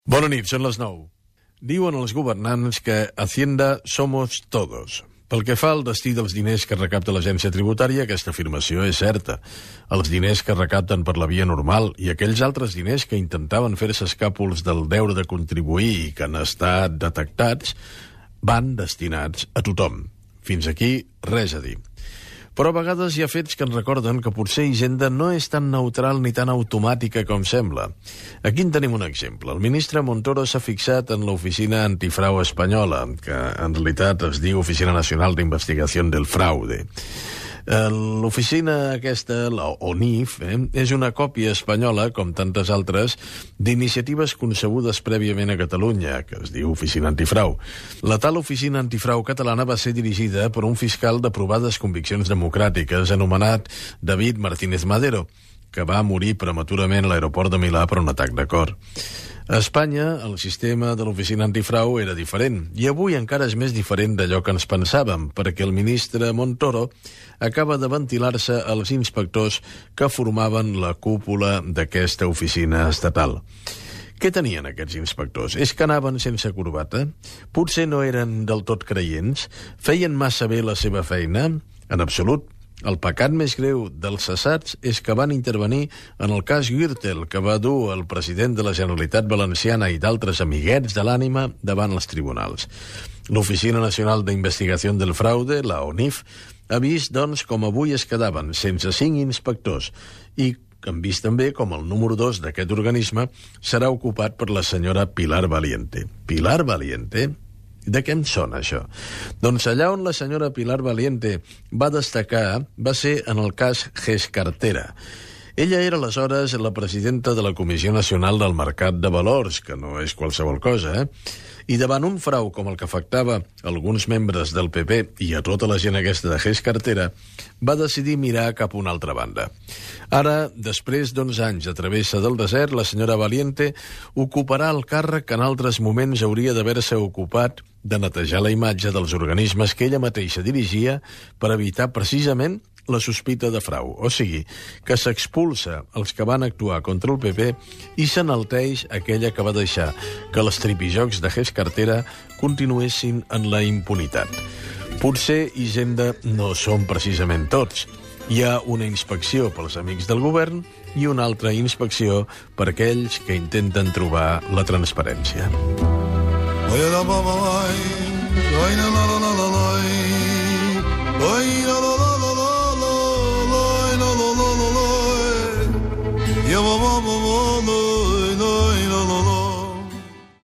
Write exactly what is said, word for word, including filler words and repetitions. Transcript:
Bona nit, són les nou. Diuen els governants que Hacienda somos todos. Pel que fa al destí dels diners que recapta l'agència tributària, aquesta afirmació és certa. Els diners que recapten per la via normal i aquells altres diners que intentaven fer-se escàpols del deure de contribuir i que han estat detectats van destinats a tothom. Fins aquí, res a dir. Però a vegades hi ha fets que ens recorden que potser Hisenda no és tan neutral ni tan automàtica com sembla. Aquí en tenim un exemple. El ministre Montoro s'ha fixat en l'Oficina Antifrau Espanyola, que en realitat es diu Oficina Nacional d'Investigació del Fraude. L'oficina aquesta, la O N I F, eh, és una còpia espanyola, com tantes altres, d'iniciatives concebudes prèviament a Catalunya, que es diu Oficina Antifrau. La tal Oficina Antifrau catalana va ser dirigida per un fiscal de provades conviccions democràtiques anomenat David Martínez Madero, que va morir prematurament a l'aeroport de Milà per un atac de cor. A Espanya, el sistema de l'oficina antifrau era diferent, i avui encara és més diferent d'allò que ens pensàvem, perquè el ministre Montoro acaba de ventilar-se als inspectors que formaven la cúpula d'aquesta oficina estatal. Què tenien aquests inspectors? És que anaven sense corbata? Potser no eren del tot creients? Feien massa bé la seva feina? En absolut. El pecat més greu dels cessats és que van intervenir en el cas Gürtel, que va dur el president de la Generalitat Valenciana i d'altres amiguets de l'ànima davant els tribunals. L'Oficina Nacional d'Investigació del Fraude, la O N I F, ha vist, doncs, com avui es quedaven sense cinc inspectors i han vist també com el número dos d'aquest organisme serà ocupat per la senyora Pilar Valiente. Pilar Valiente? De què em sona, això? Doncs allà on la senyora Pilar Valiente va destacar va ser en el cas Gescartera. Ella era aleshores la presidenta de la Comissió Nacional del Mercat de Valors, que no és qualsevol cosa, eh? I davant un frau com el que afectava alguns membres del P P i a tota la gent aquesta de Gescartera, va decidir mirar cap a una altra banda. Ara, després d'onze anys a travessa del desert, la senyora Valiente ocuparà el càrrec que en altres moments hauria d'haver-se ocupat de netejar la imatge dels organismes que ella mateixa dirigia per evitar precisament la sospita de frau, o sigui, que s'expulsa els que van actuar contra el P P i s'enalteix aquella que va deixar que els tripijocs de Gescartera continuessin en la impunitat. Potser Hisenda no són precisament tots. Hi ha una inspecció pels amics del govern i una altra inspecció per aquells que intenten trobar la transparència. Ya baba baba,